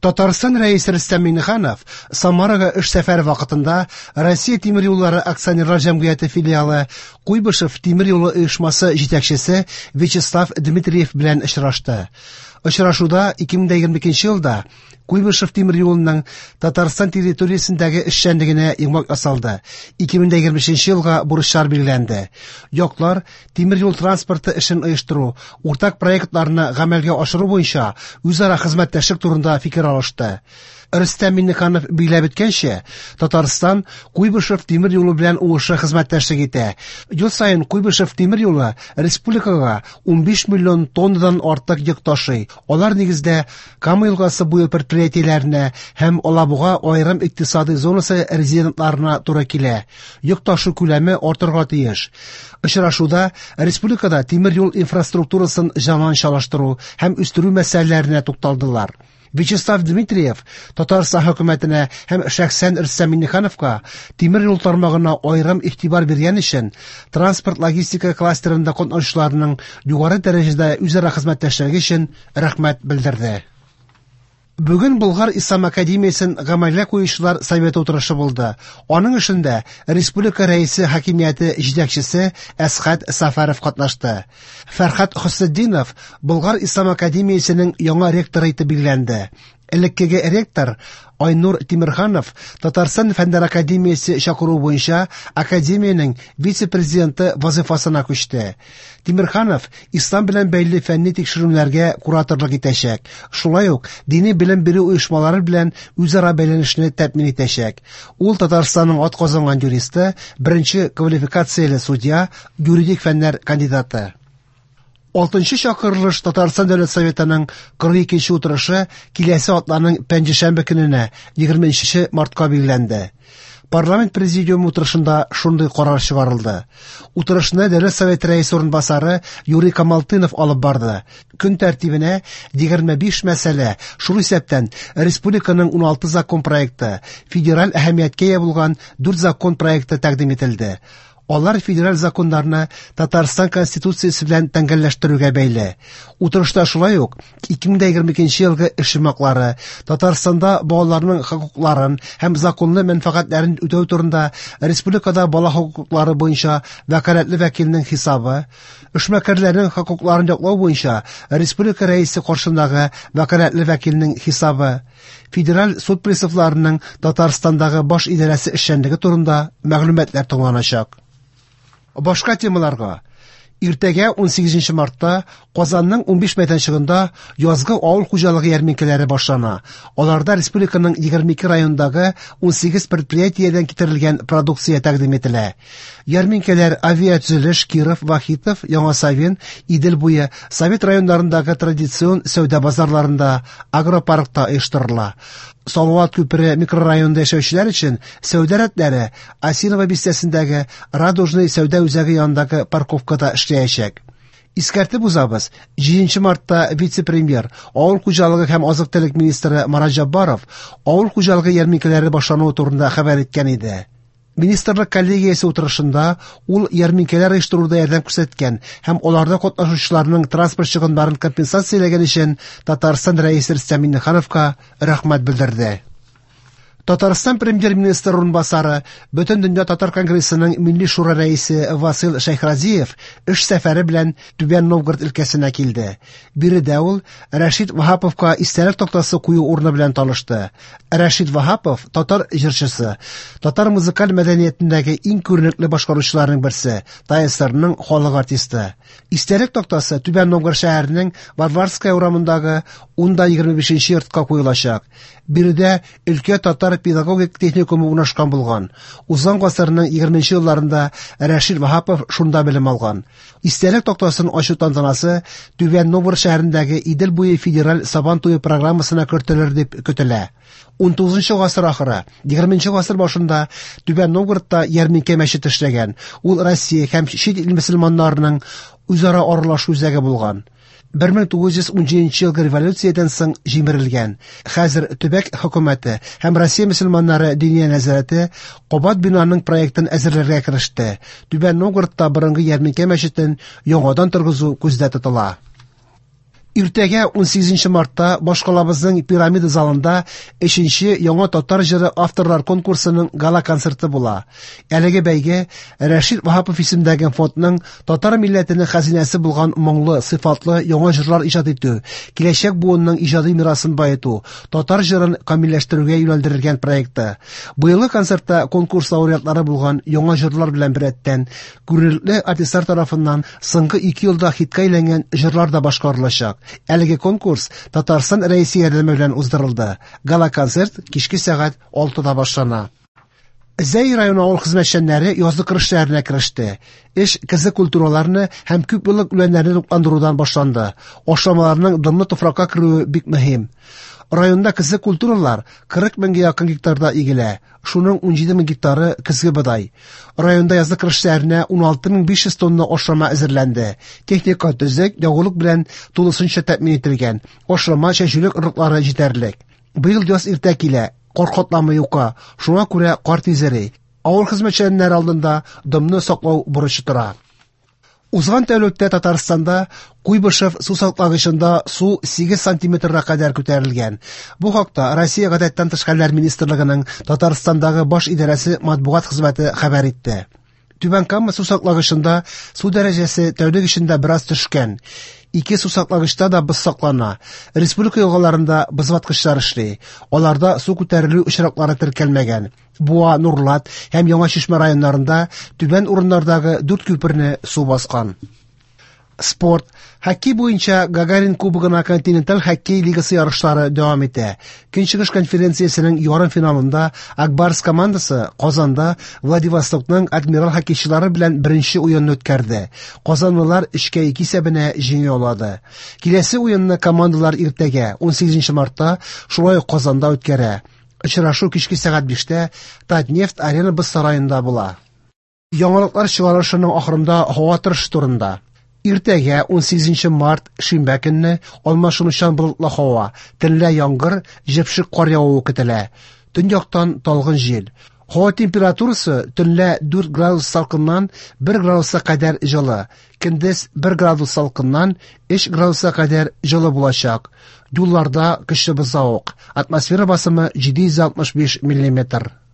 Татарстан Рәисе Рөстәм Миңнеханов Самарага эш сәфәре вакытында Россия тимер юллары акционерлар җәмгыяте филиалы Куйбышев тимер юлы оешмасы җитәкчесе Вячеслав Дмитриев белән очрашты. Очрашуда 2022 елда Куйбышев тимер юлының Татарстан территориясендәге эшчәнлегенә йомгак ясалды. 2023 елга бурычлар билгеләнде. Яклар тимер юл транспорты эшен оештыру, уртак проектларны гамәлгә ашыру буенча үзара хезмәттәшлек турында фикер алышты. Рөстәм Миңнеханов билгеләп үткәнчә, Татарстан Куйбышев тимер юлы белән уңышлы хезмәттәшлек итә. Ел саен Куйбышев тимер юлы республикага 15 миллион тоннадан артык йөк ташый. Алар нигездә Кама елгасы буе предприятиеләренә һәм Алабуга аерым икътисадый зонасы резидентларына туры килә. Йөк ташу күләме артырга тиеш. Очрашуда республикада тимер юл инфраструктурасын заманчалаштыру һәм үстерү мәсьәләләренә тукталдылар. Вячеслав Дмитриев Татарстан хөкүмәтенә һәм шәхсән Рөстәм Миңнехановка тимер юл тармагына аерым игътибар биргән өчен транспорт-логистика кластерында катнашучыларның югары дәрәҗәдә үзара хезмәттәшлеге өчен рәхмәт белдерде. Бүген Болгар Ислам академиясен гамәлгә куючылар советы утырышы булды. Аның эшендә республика рәисе хакимияте җитәкчесе Әсхәт Сафаров катнашты. Фәрхат Хөснетдинов Болгар Ислам академиясенең яңа ректоры итеп билгеләнде. Элеккеге ректор Айнур Тимерханов Татарстан Фәннәр академиясе чакыруы буенча академиянең вице-президенты вазыйфасына күчте. Тимерханов ислам белән бәйле фәнни тикшеренүләргә кураторлык итәчәк. Шулай ук дини белем бирү оешмалары белән үзара бәйләнешне тәэмин итәчәк. Ул Татарстанның атказанган юристы, беренче квалификацияле судья, юридик фәннәр кандидаты. Алтынчы чакырылыш Татарстан Дәүләт Советының 42 утырышы киләсе атнаның пәнҗешәмбе көненә, 20 мартка билгеләнде. Парламент президиумы утырышында шундый карар чыгарылды. Утырышны Дәүләт Советы рәисе урынбасары Юрий Камалтынов алып барды. Көн тәртибенә 25 мәсьәлә, шул исәптән республиканың 16 закон проекты, федераль әһәмияткә ия булган 4 закон проекты тәкъдим ителде. Алар федераль законнарны Татарстан Конституциясе белән тәңгәлләштерүгә бәйле. Утырышта шулай ук 2022 елгы эш йомгаклары, Татарстанда балаларның хокукларын һәм законлы мәнфәгатьләрен үтәү турында республикада бала хокуклары буенча вәкаләтле вәкилнең хисабы, эшмәкәрләрнең хокукларын яклау буенча республика рәисе каршындагы вәкаләтле вәкилнең хисабы, Федераль суд приставларының Татарстандагы баш идарәсе эшчәнлеге турында мәгълүматлар тыңланачак. Башка темаларга. Иртәгә 18 мартта Казанның 15 мәйданчыгында язгы авыл хуҗалыгы ярминкәләре башлана. Аларда республиканың 22 районындагы 18 предприятиедән китерелгән продукция тәкъдим ителә. Ярминкәләр Авиатөзелеш, Киров, Вахитов, Яңа Савин, Идел буе, Совет районнарындагы традицион сәүдә базарларында, агропаркта оештырыла. Салават күпере микрорайонында яшәүчеләр өчен сәүдә рәтләре Осиново бистәсендәге Радужный сәүдә үзәге янындагы парковкада эшләячәк. Искәртеп узабыз, 7 мартта вице-премьер, авыл хуҗалыгы һәм азык-төлек министры Марат Җаббаров авыл хуҗалыгы ярминкәләре башлануы турында хәбәр иткән иде. Министрлык коллегиясе утырышында ул ярминкәләр оештыруда ярдәм күрсәткән һәм аларда катнашучыларның транспорт чыгымнарын компенсацияләгән өчен Татарстан Рәисе Рөстәм Миңнехановка рәхмәт белдерде. Татарстан премьер-министры урынбасары, Бөтендөнья татар конгрессының Милли шура рәисе Васил Шәйхразиев эш сәфәре белән Түбән Новгород өлкәсенә килде. Биредә ул Рәшит Ваһаповка истәлек тактасы кую урыны белән танышты. Рәшит Ваһапов татар җырчысы, татар музыкаль мәдәниятендәге иң күренекле башкаручыларның берсе, ТАССРның халык артисты. Истәлек тактасы Түбән Новгород шәһәренең Варварская урамындагы 10-25 йортка куелачак. Биредә өлкә татар педагогик техникумы урнашкан булган. Узган гасырның 20 елларында Рәшит Ваһапов шунда белем алган. Истәлек тактасын ачу тантанасы Түбән Новгород шәһәрендәге Идел буе федераль Сабан туе программасына кертелер дип көтелә. 19 гасыр ахыры, 20 гасыр башында Түбән Новгородта ярминкә мәчете эшләгән. Ул Россия һәм чит ил мөселманнарының үзара аралашу үзәге булган. 1917 елгы революциядән соң җимерелгән. Хәзер төбәк хөкүмәте һәм Россия мөселманнары диния нәзарәте кабат бинаның проектын әзерләргә кереште. Түбән Новгородта борынгы ярминкә мәчетен яңадан торгызу күздә тотыла. Иртәгә 18 мартта башкалабызның Пирамида залында 3нче Яңа татар җыры авторлар конкурсының гала-концерты була. Әлеге бәйге Рәшит Ваһапов исемендәге фондның татар милләтенең хәзинәсе булган моңлы, сыйфатлы яңа җырлар иҗат итү, киләчәк буынның иҗади мирасын баету, татар җырын камилләштерүгә юнәлдерелгән проекты. Быелгы концертта конкурс лауреатлары булган яңа җырлар белән беррәттән күренекле артистлар тарафыннан соңгы 2 елда хитка әйләнгән җырлар да башкарылачак. Әлеге конкурс Татарстан Рәисе ярдәме белән уздырылды. Гала-концерт кичке сәгать 6-да башлана. Зәй районы авыл хезмәтчәннәре язгы кыр эшләренә кереште. Эш көзге культураларны һәм күпьеллык үләннәрне тукландырудан башланды. Ашламаларның дымлы туфракка керүе бик мөһим. Районда көзге культуралар 40 меңгә якын гектарда игелә. Шуның 17 мең гектары көзге бодай. Районда язгы кыр эшләренә 16 500 тонна ашлама әзерләнде. Техника төзек, ягулык белән тулысынча тәэмин ителгән. Ашлама чәчүлек орлыклары җитәрлек. Быел яз иртә килә, кар катламы юка, шуңа күрә кар тиз эри. Авыл хезмәтчәннәре алдында дымны саклау бурычы тора. Узган тәүлектә Татарстанда Куйбышев су саклагычында су 8 сантиметрга кадәр күтәрелгән. Бу хакта Россия Гадәттән тыш хәлләр министрлыгының Татарстандагы баш идарәсе матбугат хезмәте хәбәр итте. Түбән Кама су саклагычында су дәрәҗәсе тәүлек эчендә бераз төшкән. Ике су саклагычта да боз саклана. Республика елгаларында бозваткычлар эшли. Аларда су күтәрелү очраклары теркәлмәгән. Буа, Нурлат һәм Яңа Чишмә районнарында түбән урыннардагы 4 күперне су баскан. Спорт. Хоккей буенча Гагарин кубогына континенталь хоккей лигасы ярышлары дәвам итә. Көнчыгыш конференциясенең ярым финалында Ак Барс командасы Казанда Владивостокның Адмирал хоккейчылары белән беренче уенны үткәрде. Казанлылар 3-2 исәбенә җиңү яулады. Киләсе уенны командалар иртәгә 18 мартта шулай ук Казанда үткәрә. Очрашу кичке сәгать 5-тә Татнефть арена боз сараенда була. Яңалыклар чыгарылышының ахырында һава торышы турында. Иртәгә 18 март шимбә көнне алмашынучан болытлы һава, төнлә яңгыр, җепшек кар явуы көтелә. Төньяктан талгын җил. Һава температурасы төнлә 4 градус салкыннан 1 градуска кадәр җылы, көндез 1 градус салкыннан 3 градуска кадәр җылы булачак. Юлларда көчле бозлавык. Атмосфера басымы 765 миллиметр.